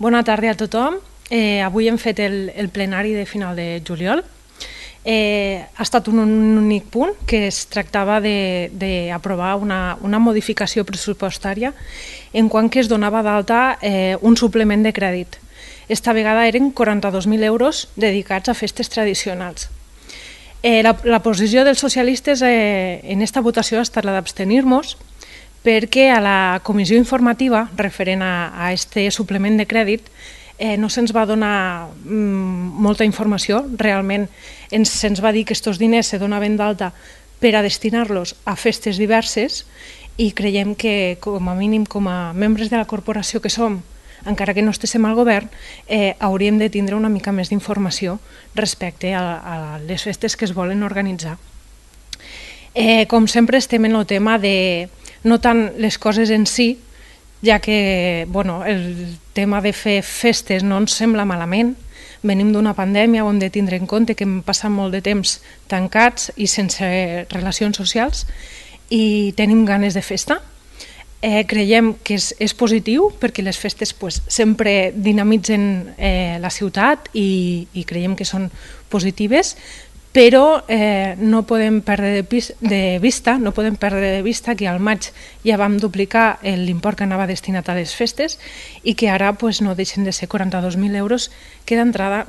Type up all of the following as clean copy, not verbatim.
Bona tarda a tothom. Avui hem fet el plenari de final de juliol. Ha estat un únic punt, que es tractava d'aprovar una modificació pressupostària en quant que es donava d'alta un suplement de crèdit. Esta vegada eren 42.000 euros dedicats a festes tradicionals. La posició dels socialistes en aquesta votació ha estat la d'abstenir-nos, perquè a la comissió informativa referent a aquest suplement de crèdit no se'ns va donar molta informació. Realment se'ns va dir que aquests diners se donaven d'alta per a destinar-los a festes diverses i creiem que com a mínim com a membres de la corporació que som, encara que no estiguem al govern, hauríem de tindre una mica més d'informació respecte a les festes que es volen organitzar. Com sempre estem en el tema de no tant les coses en si, ja que el tema de fer festes no ens sembla malament. Venim d'una pandèmia, ho hem de tindre en compte, que hem passat molt de temps tancats i sense relacions socials i tenim ganes de festa. Creiem que és positiu perquè les festes sempre dinamitzen la ciutat i creiem que són positives, però no podem perdre de vista que al maig ja vam duplicar l'import que anava destinat a les festes i que ara no deixen de ser 42.000 euros, que d'entrada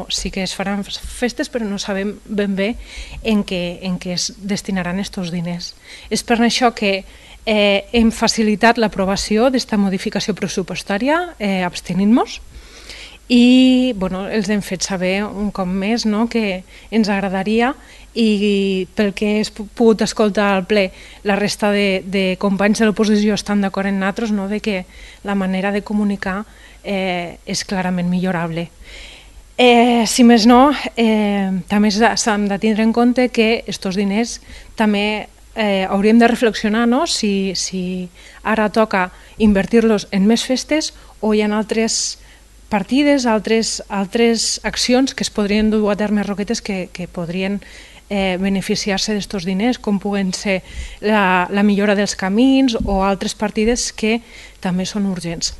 sí que es faran festes, però no sabem ben bé en què es destinaran aquests diners. És per això que hem facilitat l'aprovació d'aquesta modificació pressupostària abstenint-nos. I els hem fet saber un cop més que ens agradaria, i pel que he pogut escoltar al ple, la resta de companys de l'oposició estan d'acord amb nosaltres, que la manera de comunicar és clarament millorable. Si més no, també s'han de tindre en compte que aquests diners també hauríem de reflexionar si ara toca invertir-los en més festes o hi ha altres partides, altres accions que es podrien dur a terme, Roquetes, que podrien beneficiar-se d'aquests diners, com puguen ser la millora dels camins o altres partides que també són urgents.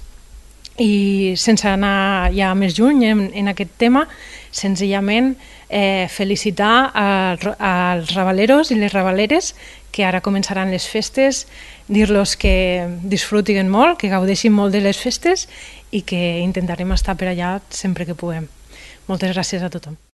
I sense anar ja més lluny en aquest tema, senzillament felicitar als rabaleros i les rabaleres que ara començaran les festes, dir-los que disfrutin molt, que gaudeixin molt de les festes i que intentarem estar per allà sempre que puguem. Moltes gràcies a tothom.